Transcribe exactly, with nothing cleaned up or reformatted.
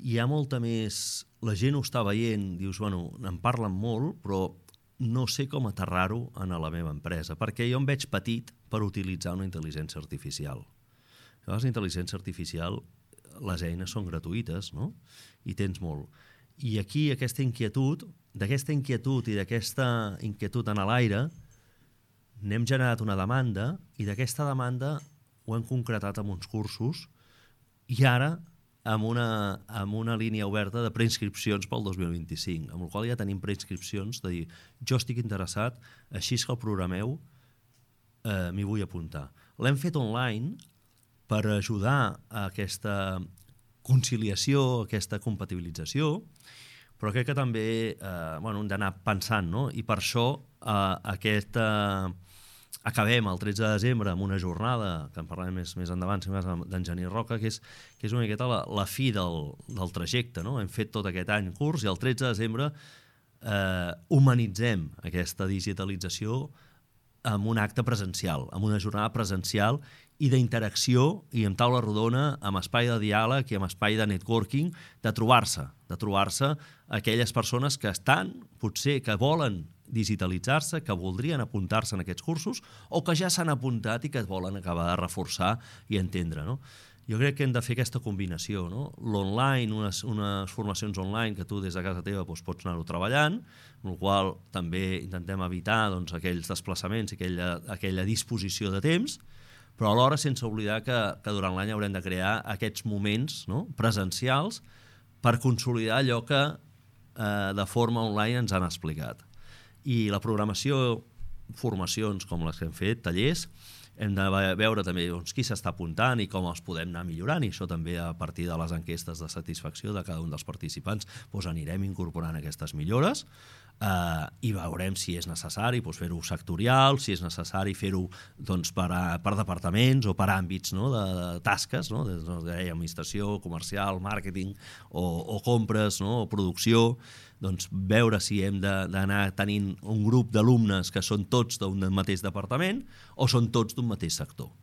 hi ha molta més... La gent ho està veient, dius, bueno, en parlen molt, però no sé com aterrar-ho a la meva empresa, perquè jo em veig petit per utilitzar una intel·ligència artificial. Llavors, la intel·ligència artificial, les eines són gratuïtes, no? I tens molt. I aquí aquesta inquietud, d'aquesta inquietud i d'aquesta inquietud en l'aire, n'hem generat una demanda i d'aquesta demanda ho hem concretat amb uns cursos i ara amb una, amb una línia oberta de preinscripcions pel dos mil vint-i-cinc, amb la qual ja tenim preinscripcions de dir, jo estic interessat, així que el programeu, eh, m'hi vull apuntar. L'hem fet online per ajudar a aquesta conciliació, a aquesta compatibilització, però crec que també eh, bueno, hem d'anar pensant, no? I per això eh, aquesta... Acabem el tretze de desembre amb una jornada, que en parlarem més, més endavant, d'en Genís Roca, que és, que és una miqueta la, la fi del, del trajecte. No? Hem fet tot aquest any curs i el tretze de desembre eh, humanitzem aquesta digitalització amb un acte presencial, amb una jornada presencial i d'interacció i amb taula rodona, amb espai de diàleg i amb espai de networking, de trobar-se, de trobar-se aquelles persones que estan, potser que volen digitalitzar-se, que voldrien apuntar-se en aquests cursos o que ja s'han apuntat i que es volen acabar de reforçar i entendre. No? Jo crec que hem de fer aquesta combinació. No? L'online, unes, unes formacions online que tu des de casa teva doncs, pots anar-ho treballant, amb la qual també intentem evitar doncs, aquells desplaçaments i aquella, aquella disposició de temps, però alhora sense oblidar que, que durant l'any haurem de crear aquests moments, no? presencials per consolidar allò que eh, de forma online ens han explicat. I la programació, formacions com les que hem fet, tallers, hem de veure també doncs, qui s'està apuntant i com els podem anar millorant, i això també a partir de les enquestes de satisfacció de cada un dels participants doncs anirem incorporant aquestes millores eh, i veurem si és necessari doncs, fer-ho sectorial, si és necessari fer-ho doncs, per, a, per departaments o per àmbits, no? de, de tasques, no? de, de administració, comercial, màrqueting o, o compres, no? o producció, doncs veure si hem d'anar tenint un grup d'alumnes que són tots d'un mateix departament o són tots d'un mateix sector.